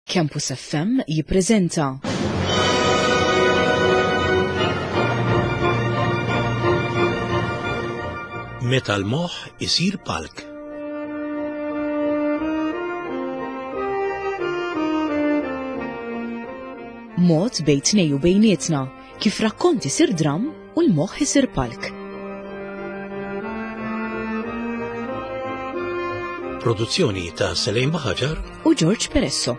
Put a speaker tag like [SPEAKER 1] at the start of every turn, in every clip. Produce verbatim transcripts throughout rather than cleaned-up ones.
[SPEAKER 1] Campus F M jippreżenta
[SPEAKER 2] Meta l-moħħ isir palk.
[SPEAKER 1] Mod bejn tnejn u bejnietna kif rakkont isir dram u l-moħħ isir palk.
[SPEAKER 2] Produzzjoni ta' Selejn Baħaġar
[SPEAKER 1] u George Peresso.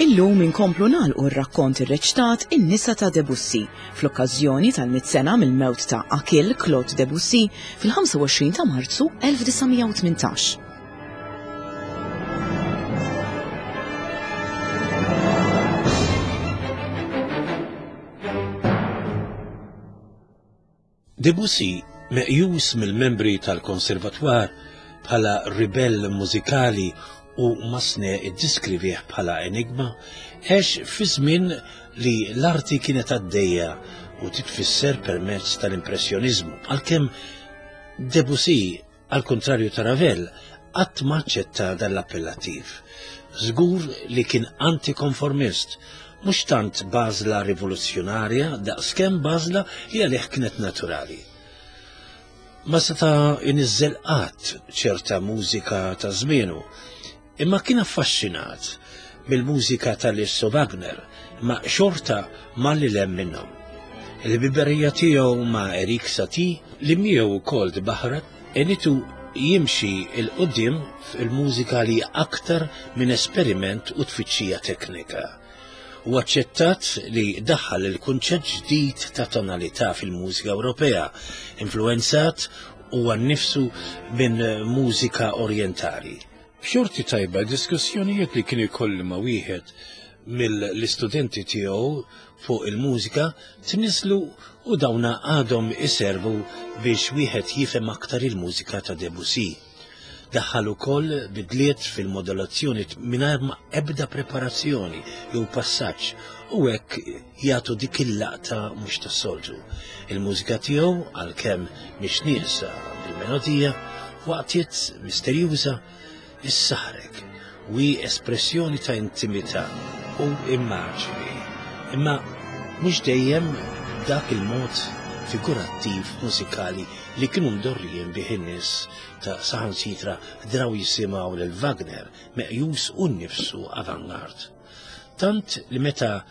[SPEAKER 1] Illum inkomplu nagħlqu r-rakkont irreċtat In-Nisa ta' Debussy fl-okkażjoni tal-mitt sena mill-mewt ta' Achille Claude Debussy fil-ħamsa u għoxrin ta' Marzu elf disa' mija u tmintax.
[SPEAKER 2] Debussy, meqjus mill-membri tal-konservatwar bħala ribell mużikali u Massenet iddiskrivih bħala enigma, għex fi żmien li l-arti kienet għaddejja u titfisser permezz tal-impressjonizmu. Għalkemm Debussy, għal kontrarju ta' Ravel, qatt ma aċċetta dan l-appellattiv. Żgur li kien antikonformist, mhux tant b'għażla rivoluzzjonarja daqskemm b'għażla li għalih kienet naturali. Ma seta' iniżżel qatt ċerta mużika ta' żmienu, imma kien affaxxinat mill-mużika ta' Liszt u Wagner, ma xorta ma li lem minnhom. Il-ħbiberija tiegħu ma' Erik Satie, li miegħu wkoll tbaħret, għenitu jimxi 'l quddiem fil-mużika li aktar minn esperiment u tfittxija teknika. U aċċettat li daħħal il-kunċett ġdid ta' tonalità fil-mużika Ewropea, influenzat huwa nnifsu minn mużika orientali. B'xorti tajba, diskussjonijiet li kien ikollu ma' wieħed mill-istudenti tiegħu fuq il-mużika tniżlu u dawna għadhom iservu biex wieħed jifhem aktar il-mużika ta' Debussy. Daħħal ukoll bidliet fil-modulazzjoni mingħajr ma ebda preparazzjoni jew passaġġ u hekk jagħtu dik il-laqta mhux tas-soltu. Il-mużika tiegħu, għalkemm mhix nieqsa bil-melodija, waqtiet misterjuża, issaħrek u hi espressjoni ta' intimità u immaġini. Imma mhux dejjem dak il-mod figurattiv mużikali li kienu mdorrijin bih in-nies ta' saħansitra draw jisimgħu lil Wagner, meqjus hu nnifsu avangard. Tant li meta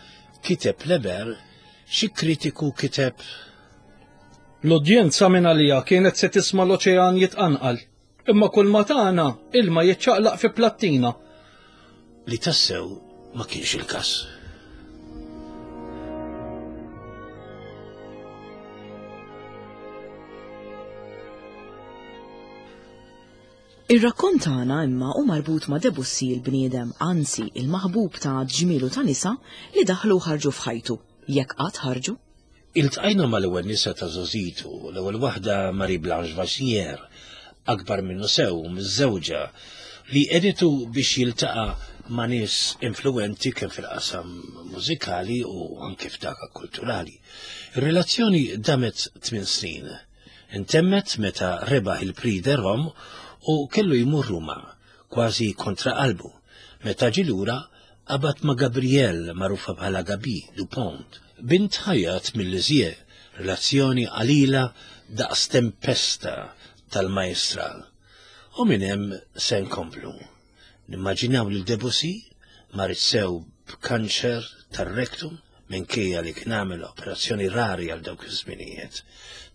[SPEAKER 2] kiteb Les Belles, xi kritiku kiteb:
[SPEAKER 3] L-udjenza minn għalija kienet se tisma' l-oċean jitqanqal, imma kull ma tagħna ilma jiċċaqlaq fi plattina.
[SPEAKER 2] Li tassew ma kienx il-każ.
[SPEAKER 1] Ir-rakkont tagħna imma hu marbut ma' Debussy il-bniedem, anzi il-maħbub ta' ġmielu ta' nisa li daħlu u ħarġu f'ħajtu, jekk qatt ħarġu.
[SPEAKER 2] Iltqajna mal-ewwel nisa ta' żgħożitu, l-ewwel waħda Marie Blanche Vasnier, akbar minnu sew, miżżewġa, li għenitu biex jiltaqa' ma' nies influenti kemm fil-qasam mużikali u anke f'dak kulturali. Ir-relazzjoni damet tmien snin. Intemmet meta rebaħ il-Prix de Rome u kellu jmur Ruma, kważi kontra qalbu. Meta ġie lura, qabad ma' Gabrielle, magħrufa bħala Gaby Dupont, bint ħajjat mill-Lisieux, relazzjoni qalila daqs tempesta tal-majestral. U minn hemm se nkomplu. Nimmaġinaw lil Debussy marid sew b'kanċer tar-rektum minkejja li kien għamel operazzjoni rari għal dawk iż-żminijiet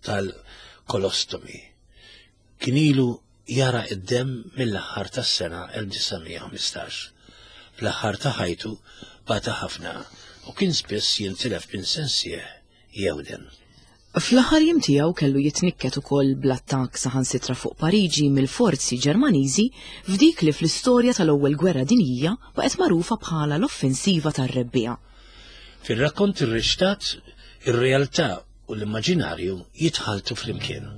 [SPEAKER 2] tal-kolostomi. Kien ilu jara id-dem mill-aħħar tas-sena elf disa' mija u ħmistax. Fl-aħħar ta' ħajtu bata ħafna u kien spiss jintilef minn sensih jewden.
[SPEAKER 1] Fl-aħħar jiem tiegħu kellu jitnikket ukoll bl-attakk saħansitra fuq Pariġi mill-forzi Ġermaniżi f'dik li fl-istorja tal-Ewwel Gwerra Dinjija baqgħet magħrufa bħala l-offensiva tar-Rebbiegħa.
[SPEAKER 2] Fir-rakkont irreċtat, ir-realtà u l-immaġinarju jitħaltu flimkien.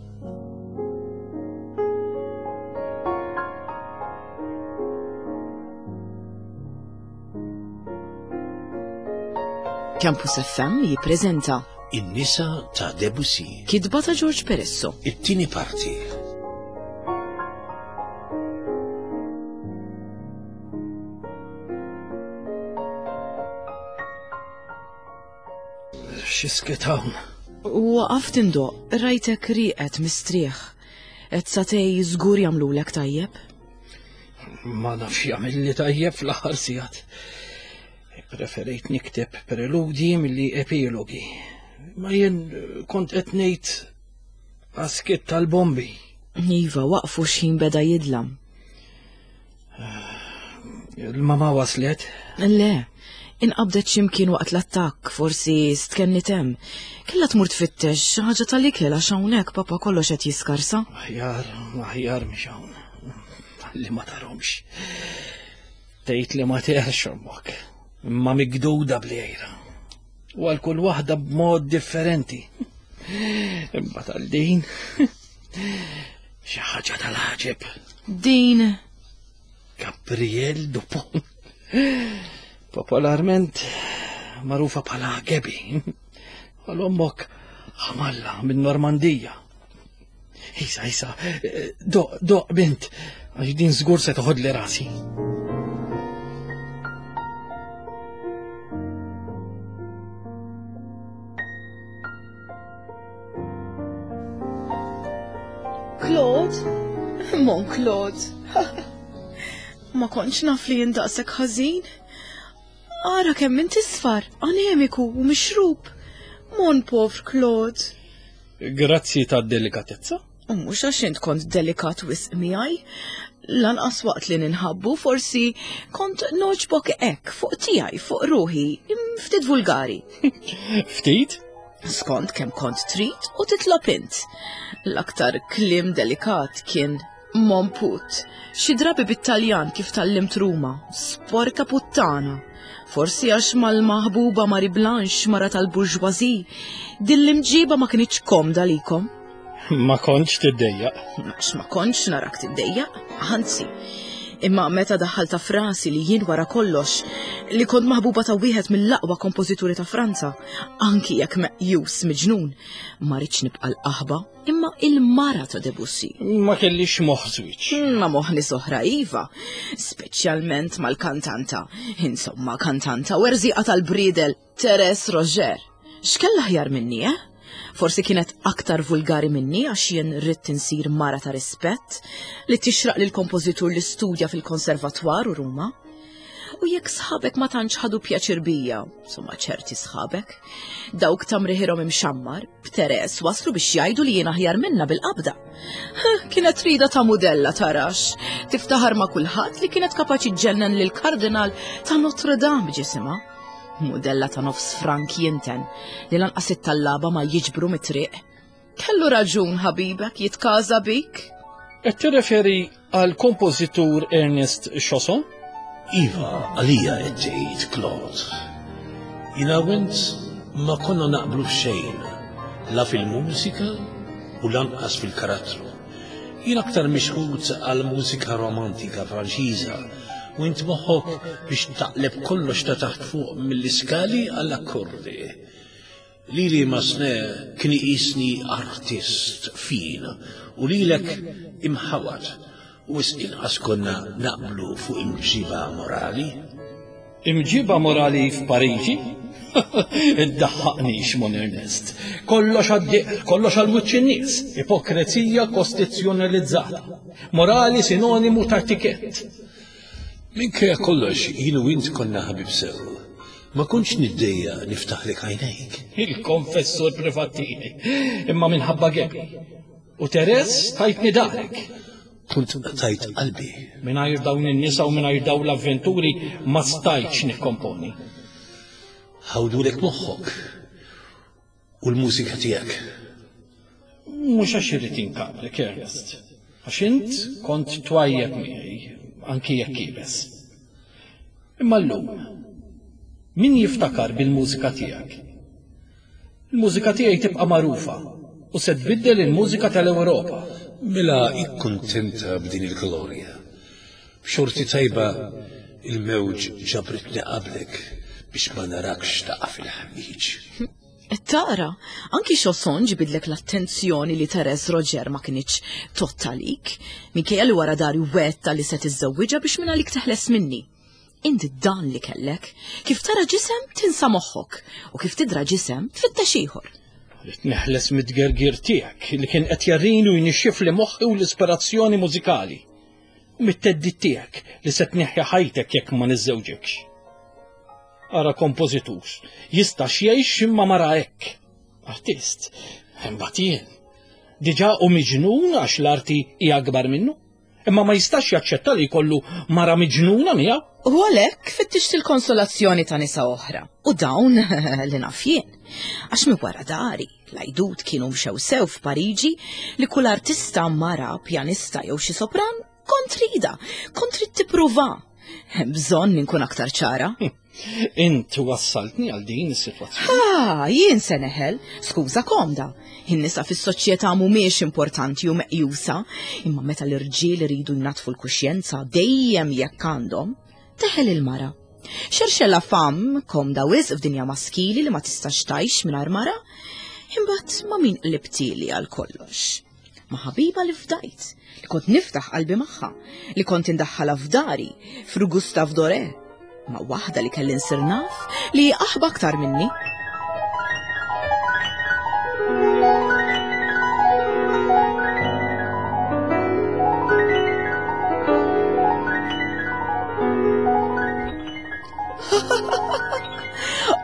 [SPEAKER 1] Campus F M jippreżenta
[SPEAKER 2] In-nisa ta' Debussy.
[SPEAKER 1] Kitba ta' George Peresso.
[SPEAKER 2] It-tieni parti.
[SPEAKER 3] X'isket hawn?
[SPEAKER 1] Waqaft indoq, rajtek rieqed mistrieħ. Et satej żgur jagħmlulek tajjeb?
[SPEAKER 3] Ma nafx jagħmilli tajjeb fl-aħħar sigħat. Preferejt nikteb preludi milli epilogi. Ma jien kont qed ngħid għaskiet tal-bombi.
[SPEAKER 1] Iva, waqfu x'ħin beda jidlam.
[SPEAKER 3] Il-mama waslet?
[SPEAKER 1] Le, inqabdet x'imkien waqt l-attakk, forsi stkenni hemm. Kellha tmur tfittex xi ħaġa tal-ikel għax hawnhekk papa kollox qed jiskarsa.
[SPEAKER 3] Aħjar, aħjar mhix hawn. Li ma tarhomx. Tgħid li ma teħx ommok. Imma migduda bl-għira. U għal kull waħda b'mod differenti. Imma tal-din xi ħaġa tal-ħaġeb.
[SPEAKER 1] Din
[SPEAKER 3] Gabriel Dupont. Popolarment magħrufa bħala Gabi. Għal ommok ħamalla minn Normandija. Isa, isa, doq, doq bint, għax din żgur se toħodli rasi.
[SPEAKER 1] Claude? Mon Claude. Ma kontx naf li jindaqsek ħażin. Ara kemm int isfar, anemiku u mixrub. Mon povr Claude.
[SPEAKER 3] Grazzi tad-delikatezza.
[SPEAKER 1] U mhux għax int kont delikat wisq miegħi. Lanqas waqt li ninħabbu forsi kont noġbok hekk fuq tiegħi, fuq ruħi, ftit vulgari.
[SPEAKER 3] Ftit?
[SPEAKER 1] Skont kemm kont trid u titlob int. L-aktar kliem delikat kien mon put, xi drabi bit-Taljan kif tallimt Ruma, sporka puttana. Forsi għax mal-maħbuba Marie Blanche, mara tal-burġwazi, din l-imġiba ma kinitx komda likom.
[SPEAKER 3] Ma kontx tiddejjaq.
[SPEAKER 1] Għax ma kontx narak tiddejjaq, anzi. Imma meta daħħalta frasi li jien wara kollox li kont maħbuba ta' wieħed mill-aqwa kompożituri ta' Franza, anki jekk meqjus miġnun, ma rridx nibqa' l-qaħba, imma il-mara ta' Debussy.
[SPEAKER 3] Ma kellix moħħ żwieġ.
[SPEAKER 1] Ma moħħni soħra iva, speċjalment mal-kantanta, insomma kantanta u erżieqa tal-bridel Teres Roger. X'kella aħjar minni, eh? Forsi kienet aktar vulgari minni għax jien ridt insir mara ta' rispett li tixraq lil kompożitur li studja fil-konservatwar u Ruma. U jekk sħabek ma tantx ħadu pjaċir bija, insomma ċerti sħabek, dawk tamriħirhom imxammar, b'Teres waslu biex jgħidu li jien aħjar minna bil-qabda. Kienet rida ta' mudella tarax, tiftaħar ma' kulħadd li kienet kapaċi ġġennen lil kardinal ta' Notre Dame ġisimha. Mudella ta' nofs frank jinten li lanqas it-tallaba ma jiġbru mit-triq. Kellu raġun ħabibek jitkaża bik?
[SPEAKER 3] Qed tirreferi għal kompożitur Ernest Chausson?
[SPEAKER 2] Iva, għalija qed tgħid Claude. Jiena u int ma konna naqblu f'xejn, la fil-mużika u lanqas fil-karattru. Jien aktar mixħut għal mużika romantika Franċiża u int moħħok biex taqleb kollox ta' taħt fuq mill-iskali għall-akkordi. Lili Massenet kien iqisni artist fin u lilek imħawat u wisq inqas konna naqblu fuq imġiba morali.
[SPEAKER 3] Imġiba morali f'Pariġi? Iddaħħaqnix, mon Ernest. Kollox għad-dieq, kollox għal wiċċ in-nies. Ipokrezija kostituzzjonalizzata. Morali sinonimu ta' etikett.
[SPEAKER 2] Minkejja kollox jien u int konna ħabib sew. Ma kontx niddejja niftaħlek għajnejk.
[SPEAKER 3] Il-konfessur privat tiegħi, imma minħabba Gabi. U Teres tajtni darek.
[SPEAKER 2] Kont tajt qalbi.
[SPEAKER 3] Mingħajr dawn in-nisa u mingħajr dawn l-avventuri ma stajtx nikkomponi.
[SPEAKER 2] Ħawdulek moħħok u l-mużika tiegħek.
[SPEAKER 3] Mhux għax irid inkabrek, Ernest. Għax int kont twajjeb miegħi, anki jekk iebes. Imma llum, min jiftakar bil-mużika tiegħek? Il-mużika tiegħi tibqa' magħrufa u se tbiddel il-mużika tal-Ewropa.
[SPEAKER 2] Mela ikkuntenta b'din il-glorja. B'xorti tajba il-mewġ ġabritni qablek. biex ma narakx taqa' fil-ħmiġ.
[SPEAKER 1] Tara, anki Chausson ġibidlek l-attenzjoni li Therese Roger ma kinitx tottalik, minkejja li wara dari wetta li se tiżżewwiġha biex minn għalik teħles minni. Inti dan li kellek, kif tara ġisem tinsa moħħok u kif tidra ġisem tfittex ieħor.
[SPEAKER 3] Rrid neħles mid-gergir tiegħek li kien qed jarrini u jnixxif li moħħi u l-ispirazzjoni mużikali. U mit-teddid tiegħek li se tneħħi ħajtek jekk ma niżżewġekx. Ara kompożitur, jistax jgħix imma mara hekk. Artist, imbagħad jien. Diġà hu miġnun għax l-arti hija akbar minnu. Imma ma jistax jaċċetta li jkollu mara miġnuna miegħu.
[SPEAKER 1] U għalhekk fittixt il-konsolazzjoni ta' nisa oħra. U dawn li naf jien. Għax mi wara dari, l-għajdut kienu mxew sew f'Pariġi li kull artista mara, pjanista jew xi sopran, kont rida, kont trid tippruva. Hemm bżonn inkun aktar ċara.
[SPEAKER 3] Int wassaltni għal din is-sitwazzjoni.
[SPEAKER 1] Ah, jien se neħel, skuża komda. In-nisa fis-soċjetà mhumiex importanti u meqjusa, imma meta l-irġiel iridu jnatfu l-kuxjenza dejjem jekk għandhom, teħel il-mara. Xerxella fam komda wisq f'dinja maskili li ma tistax tgħix mingħajr mara, imbagħad ma' min qlibtili għal kollox. Ma' ħabiba li fdajt, li kont niftaħ qalbi magħha, li kont indaħħalha f'dari, fru Gustave Doré, ma' waħda li kelli nsir naf li aħba aktar minni.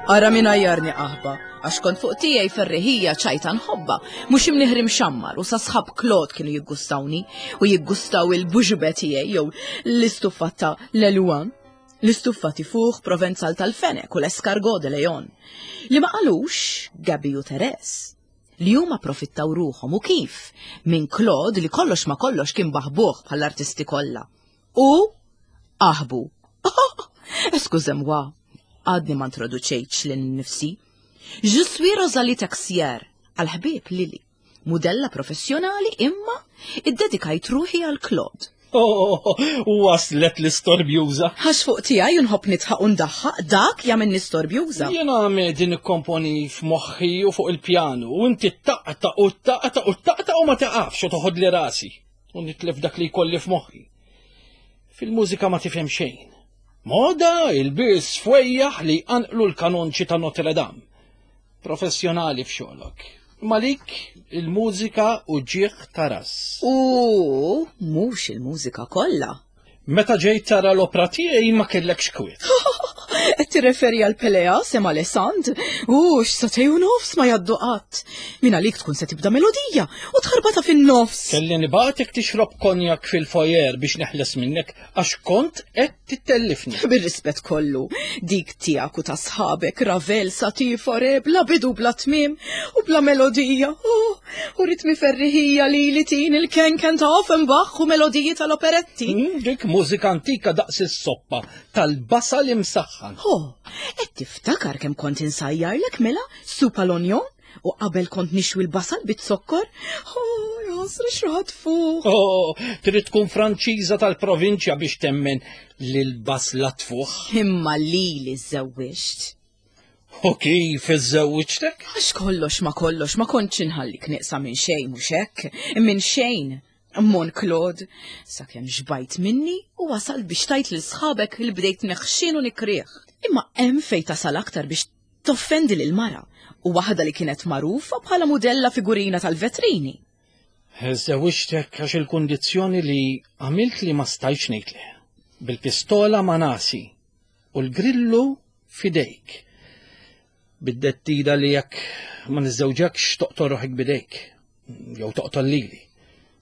[SPEAKER 1] Ara min għajjarni qaħba, għax kont fuq tiegħi ferriħija ċajta nħobba, mhux imniħri mxammar u sa sħab Claude kienu jiggustawni u jiggustaw il-buġbe tiegħi jew l-istuffa ta' l-Eluan, l-istuffa tifuħ Provenzal tal-Fenek u l-escargot de Leon, li ma qalux Gabi u Therese, li huma profittaw ruħhom u kif minn Claude li kollox ma kollox kien baħbuh bħall-artisti kollha. U aħbu. Eskużemwa, għadni ma introduċejtx lil nifsi. Je suis Rosalie Texier, għal-ħbieb Lili, mudella professjonali imma iddedikajt ruħi għal Claude.
[SPEAKER 3] Oh, waslet l-istorbjuża.
[SPEAKER 1] Għax fuq tiegħi nħobb nitħaq u ndaħħaq dak jagħmilni storbjuża.
[SPEAKER 3] Jiena għamedi nikkomponi f'moħħi u fuq il-pjanu u inti taqta' u taqta' u taqta' u ma taqafx u toħodli rasi u nitlef dak li jkolli f'moħħi. Fil-mużika ma tifhem xejn. Moda, il-bis fwejjaħ li jqanqlu l-kanonċi ta' Notre Dame. Professjonali f'xogħlok. Malik il-mużika u ġieħ ta' ras.
[SPEAKER 1] U mhux il-mużika kollha.
[SPEAKER 3] Meta ġejt tara l-opra tiegħi ma kellekx kwiet.
[SPEAKER 1] Qed tirreferi għal Pelea sema Alessand? U x'satej u nofs ma jgħaddu qatt. Min għalik tkun se tibda melodija u tħarbata fin-nofs.
[SPEAKER 3] Kelli nibgħatek tixrob konjak fil-foyer biex neħles minnek għax kont qed tittellifni.
[SPEAKER 1] Bir-rispett kollu, dik tiegħek u ta' sħabek Ravel, Satie, Fauré, bla bidu bla tmiem u bla melodija. Oh, u ritmi ferriħija li li tin il-kenken ta' Offenbach u melodiji tal-operetti.
[SPEAKER 3] Mm, dik mużika antika daqs is-soppa tal-basal imsaħħan.
[SPEAKER 1] Oh, qed tiftakar kemm kont insajjarlek mela supa l-onjon u qabel kont nixwi l-basal bit-zokkor? Oh, jasra xraħat fuq.
[SPEAKER 3] Oh, trid tkun Franċiża tal-provinċja biex temmen li l-basla tfuħ.
[SPEAKER 1] Imma lili żewwiġt.
[SPEAKER 3] U kif iżżewwiġtek?
[SPEAKER 1] Għax kollox ma kollox ma kontx inħallik nieqsa minn xejn mhux hekk, minn xejn. Mon Claude, sakemm xbajt minni u wasal biex tajt lil sħabek li bdejt neħxin u nikrieħ. Imma hemm fejn tasal aktar biex toffendi lil mara u waħda li kienet magħrufa bħala mudella figurina tal-vetrini.
[SPEAKER 3] Żewwiġtek għax il-kundizzjoni li għamilt li ma stajtx ngħid le. Bil-pistola ma nasi u l-grillu fidejk. Bid-dettida li jekk ma niżżewġekx toqtol ruħek bidejk jew toqtol lili.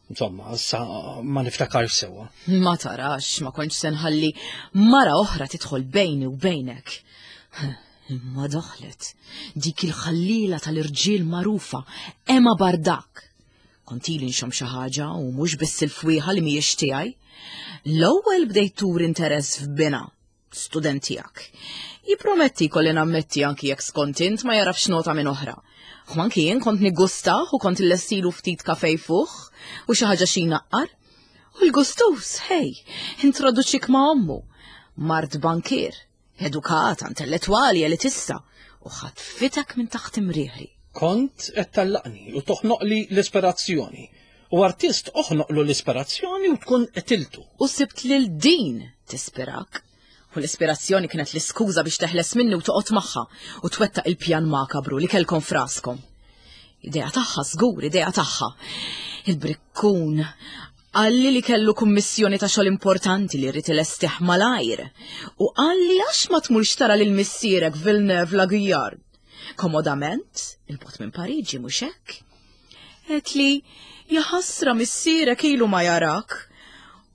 [SPEAKER 3] Insomma, issa ma niftakarx sewwa.
[SPEAKER 1] Ma tarax, ma kontx se nħalli mara oħra tidħol bejni u bejnek. Imma daħlet dik il-ħallila tal-irġiel magħrufa, Emma Bardak. Kont ili nxomm xi ħaġa u mhux biss il-fwieħa li mhijiex tiegħi. L-ewwel bdejt tur interess f'bina, student tiegħek. Jipprometti kolli nammetti anki jekk skont int ma jarafx nota minn oħra. U anki jien kont niggustah u kont illestilu ftit kafej fuq u xi ħaġa xi naqqar. U l-gustus, hej, introduċik ma' ommu, mart bankier, Edukata, intellettwali, elitista, u ħatfitek minn taħt imrieħi.
[SPEAKER 3] Kont qed tallaqni u toħnoqli l-ispirazzjoni. U artist oħnoqlu l-ispirazzjoni u tkun qtiltu.
[SPEAKER 1] U sibt lil din tispirak. U l-ispirazzjoni kienet l-iskuża biex teħles minni u toqgħod magħha u twettaq il-pjan makabru li kellkom fraskom. Idea tagħha żgur, idea tagħha. Il-brikkun qalli li kellu kummissjoni ta' xogħol importanti li rrid ilestih malajr. U qalli għax ma tmurx tara lil missierek Villeneuve la Guyard. Komodament, il-bot minn Pariġi mhux hekk. Għedt li jaħasra missierek ilu ma jarak.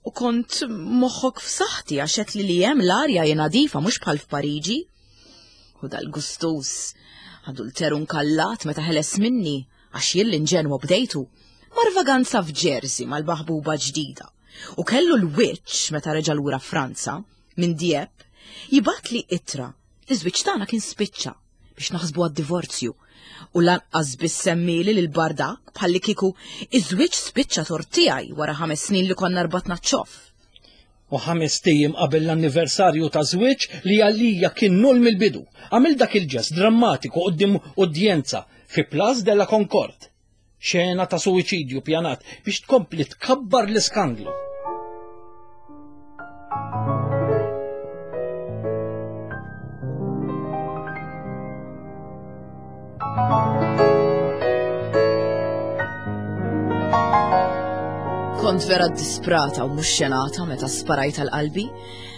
[SPEAKER 1] U kont moħħok f'saħħti għax għedt li li hemm l-arja hi nadifa mhux bħal f'Pariġi. U dal-gustus, adulteru nkallat meta ħeles minni għax jien l-inġenwa bdejtu. Mar vaganza f'Jersey mal-maħbuba ġdida. U kellu l-wiċċ meta reġa' lura Franza minn Dieppe jibgħatli ittra li żwieġ tagħna kien spiċċa biex naħsbu għad-divorzju. U lanqas biss semmili lil bardak bħalli kieku iż-żwieġ spiċċa tort tiegħi wara ħames snin li konna rbatna ċoff.
[SPEAKER 3] U ħames tijiem qabel l-anniversarju ta' żwieġ li għalija kien null mill-bidu. Għamil dak il-ġest drammatiku quddiem udjenza fi Place de la Concorde. Xena ta' suwiċidju pjanat biex tkompli tkabbar l-iskandlu.
[SPEAKER 1] Kont vera disprata u mhux xenata meta sparajt għal qalbi,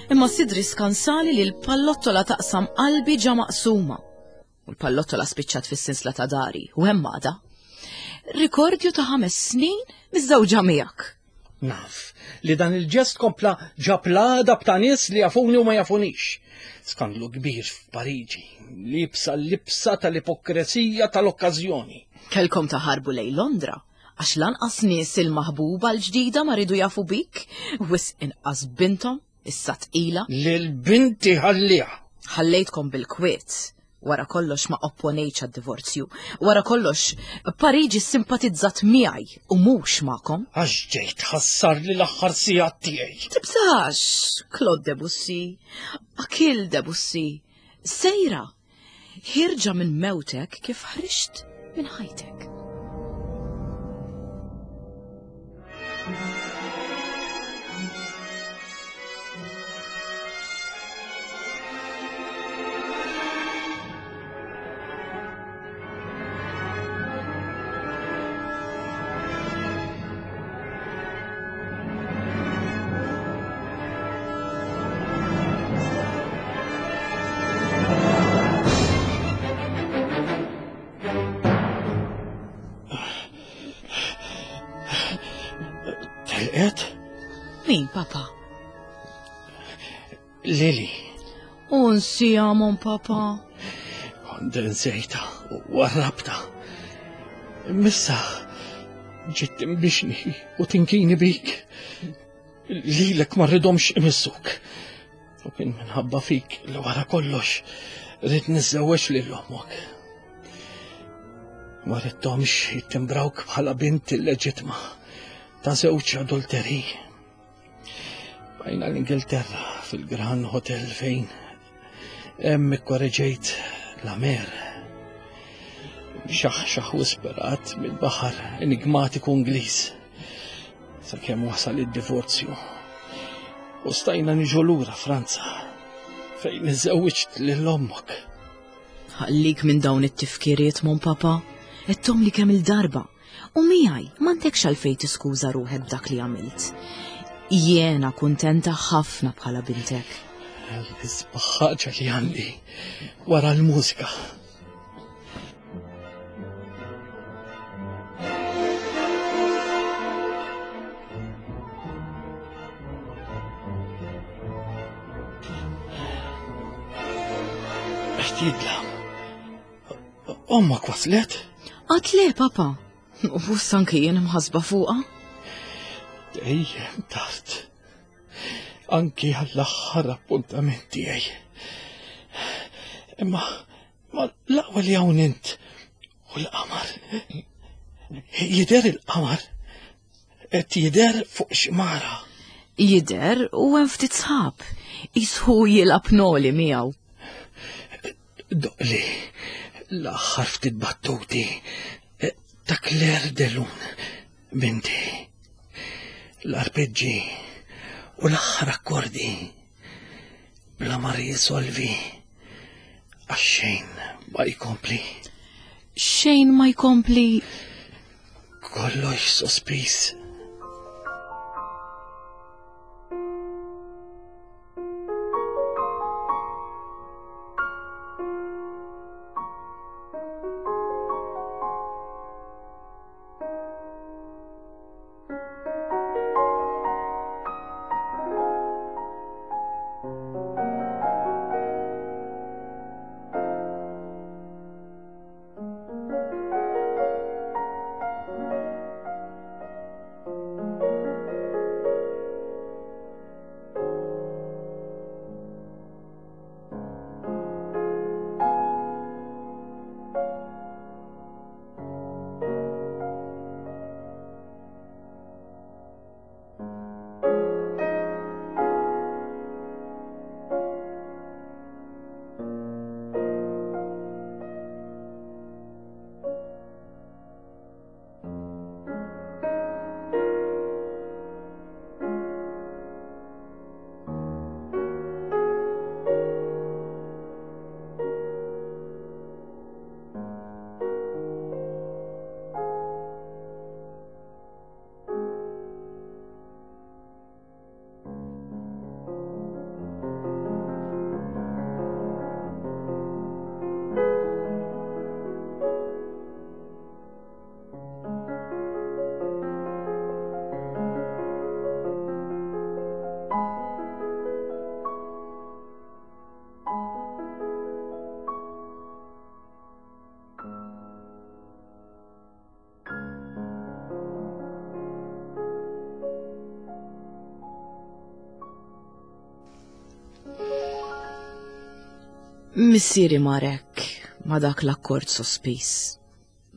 [SPEAKER 1] imma sidri skansali li l-pallottola taqsam qalbi ġa maqsuma. U l-pallottola spiċċat fis-sinsla ta' dari u hemm għadha. Rikordju ta' ħames snin miżżewġa miegħek.
[SPEAKER 3] Naf li dan il-ġest kompla ġab l-għadab ta' nies li jafuni u ma jafunix. Skandlu kbir f'Pariġi, libsa l-libsa tal-ipokresija tal-okkażjoni.
[SPEAKER 1] Kelkom taħarbu lejn Londra, għax lanqas nies il-maħbuba l-ġdida ma ridu jafu bik, wisq inqas bintom, issa tqila.
[SPEAKER 3] Lil binti ħalliha.
[SPEAKER 1] Ħallejtkom bil-kwiet. Wara kollox ma opponejtx għad-divorzju. Wara kollox, Pariġi simpatizzat miegħi u mhux magħkom.
[SPEAKER 3] Għax ġejt ħassar li l-aħħar sigħat tiegħi.
[SPEAKER 1] Tibżax, Claude Debussy, Achille Debussy, sejra, ħirġa minn mewtek kif ħriġt minn ħajtek.
[SPEAKER 3] Telqet?
[SPEAKER 1] Min, papa?
[SPEAKER 3] Lili.
[SPEAKER 1] Unsija, mon papa.
[SPEAKER 3] Kont insejta u warrabta. Missa ġiet timbixni u tinkini bik. Lilek ma rridhomx imissuk. U kien minħabba fik li wara kollox rrid niżżewweġ lil ommok. Ma ridthomx jittimbrawk bħala bint illeġitma ta' żewġ adulteri. Bajna l-Ingilterra fil-Grand Hotel fejn hemm ikkoreġejt la mer. Xaħxaħ u sperat mill-baħar enigmatiku Ingliż. Sakemm wasal id-divorzju. U stajna niġu lura Franza fejn iżżewwiġt lil ommok.
[SPEAKER 1] Ħallik minn dawn it-tifkiriet, mon papa, għedthom li kemm il-darba. U miegħi m'għandekx għalfejn tiskuża ruħek b'dak li għamilt. Jiena kuntenta ħafna bħala bintek.
[SPEAKER 3] L-isbaħ ħaġa li għandi wara l-mużika. Qed jidlam. Ommok waslet?
[SPEAKER 1] Għad le, papa. U anke jien imħasba fuqha.
[SPEAKER 3] Dejjem tard. Anki għall-aħħar appuntament tiegħi. Imma ma l-aqwa li hawn int u l-qamar. Jidher il-qamar. Qed jidher fuq xmara.
[SPEAKER 1] Jidher u hemm ftit sħab, jisħu jilgħab noli miegħu.
[SPEAKER 3] Doqli, l-aħħar ftit battuti ta' Claire de Lune, binti. L-arpeġġi u l-aħħar akkordi bla ma risolvi għax xejn ma jkompli.
[SPEAKER 1] Xejn ma jkompli.
[SPEAKER 3] Kollox sospiż.
[SPEAKER 1] Missieri marek ma dak l-akkord sospiż.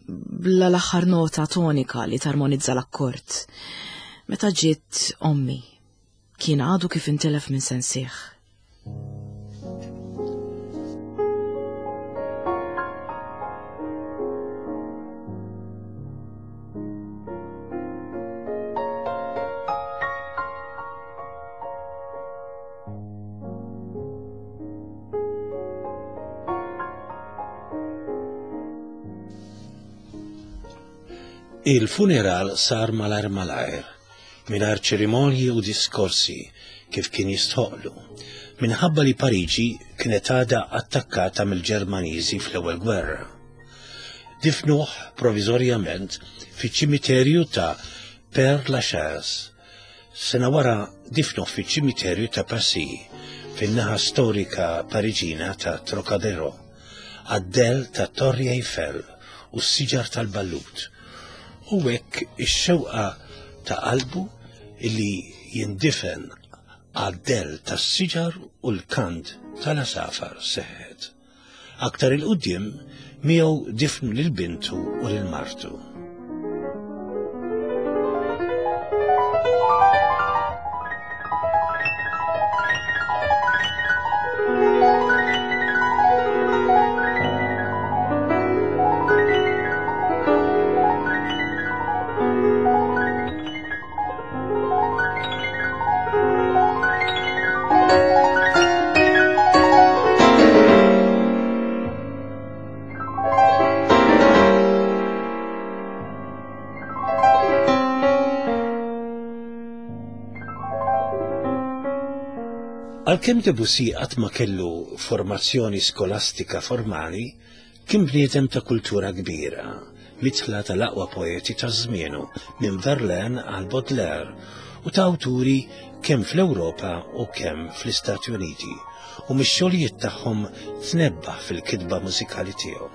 [SPEAKER 1] Bla l-aħħar nota tonika li tarmonizza l-akkord. Meta ġiet ommi, kien għadu kif intelef minn sensih.
[SPEAKER 2] Il-funeral sar malajr malajr, mingħajr ċerimonji u diskorsi kif kien jistħoqlu, minħabba li Pariġi kienet għadha attakkata mill-Ġermaniżi fl-ewwel gwerra. Difnuh provizorjament fiċ-ċimiterju ta' Père Lachaise. Sena wara difnuh fiċ-ċimiterju ta' Passy, fin-naħa storika Pariġina ta' Trocadero, għad-del ta' Torri Eiffel u s-siġar tal-Ballut. U hekk ix-xewqa ta' qalbu illi jindifen għad-del tas-siġar u l-kant tal-asafar seħħet. Aktar il-qudiem miegħu difnu lil bintu u lil martu. Għalkemm Debussy qatt ma kellu formazzjoni skolastika formali, kien bniedem ta' kultura kbira, mitħla tal-aqwa poeti ta' żmienu, minn Verlaine għal Baudelaire, u ta' awturi kemm fl-Ewropa u kemm fl-Istati Uniti, u mix-xogħlijiet tagħhom tnebbaħ fil-kitba mużikali tiegħu.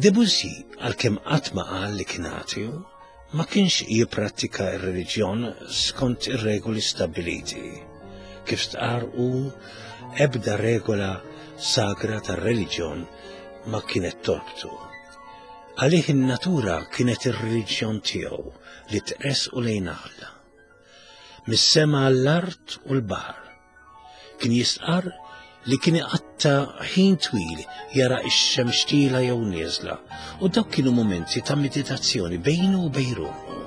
[SPEAKER 2] Debussy, għalkemm qatt ma qal li kien ateu, ma kienx jipprattika r-reliġjon skont ir-regoli stabbiliti. Kif stqarr hu, ebda regola sagra tar-reliġjon ma kienet torbtu. Għalih in-natura kienet ir-reliġjon tiegħu li tressqu lejn Alla. mis-sema għall-art u l-baħar. Kien jistqarr li kien iqatta' ħin twil jara x-xemx tielgħa jew nieżla u dawk kienu mumenti ta' meditazzjoni bejnu u bejn ruħu.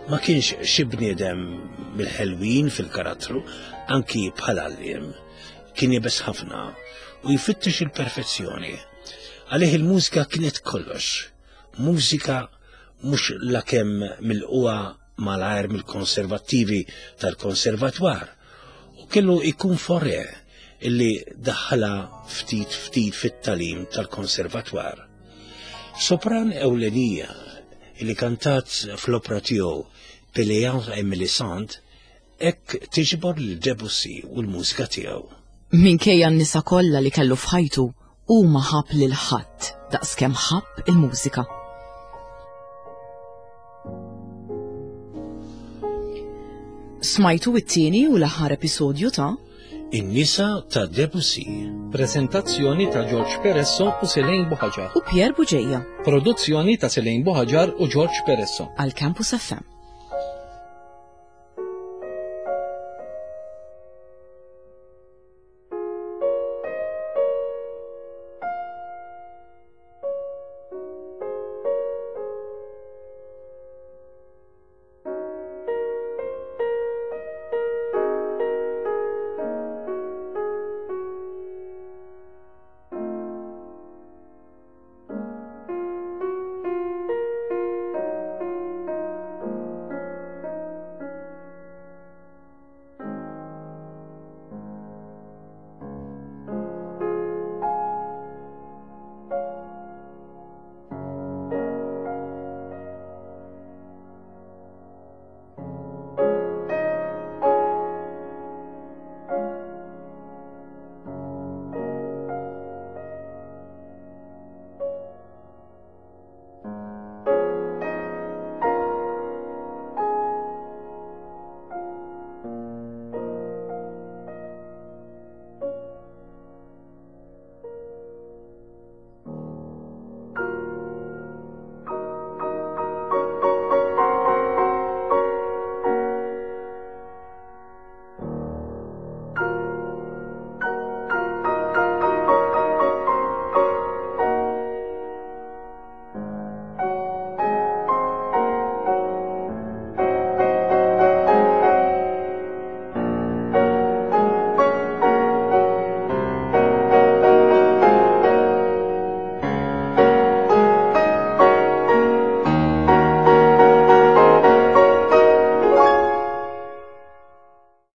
[SPEAKER 2] Ma kienx xi bniedem mill-ħelwin fil-karattru, anki bħala għalliem. Kien iebes ħafna u jfittex il-perfezzjoni. Għalih il-mużika kienet kollox. Mużika mhux lakemm milqugħa malajr mill-konservattivi tal-konservatwar u kellu jkun Fauré illi daħħalha ftit ftit fit-tagħlim tal-konservatwar. Sopran ewlenija illi kantat fl-opra tiegħu Pelléas et Mélisande hekk tiġbor lil Debussy u l-mużika tiegħu.
[SPEAKER 1] Minkejja n-nisa kollha li kellu f'ħajtu, hu ma ħabb lil ħadd daqskemm ħabb il-mużika. Smajtu it-tieni u l-aħħar episodju ta'
[SPEAKER 2] In-nisa ta' Debussy.
[SPEAKER 3] Prezentazzjoni ta' George Peresso u Selene Buħaġar.
[SPEAKER 1] U Pierre Buġeja.
[SPEAKER 3] Produzzjoni ta' Selene Buħaġar u George Peresso.
[SPEAKER 1] Għal Campus F M.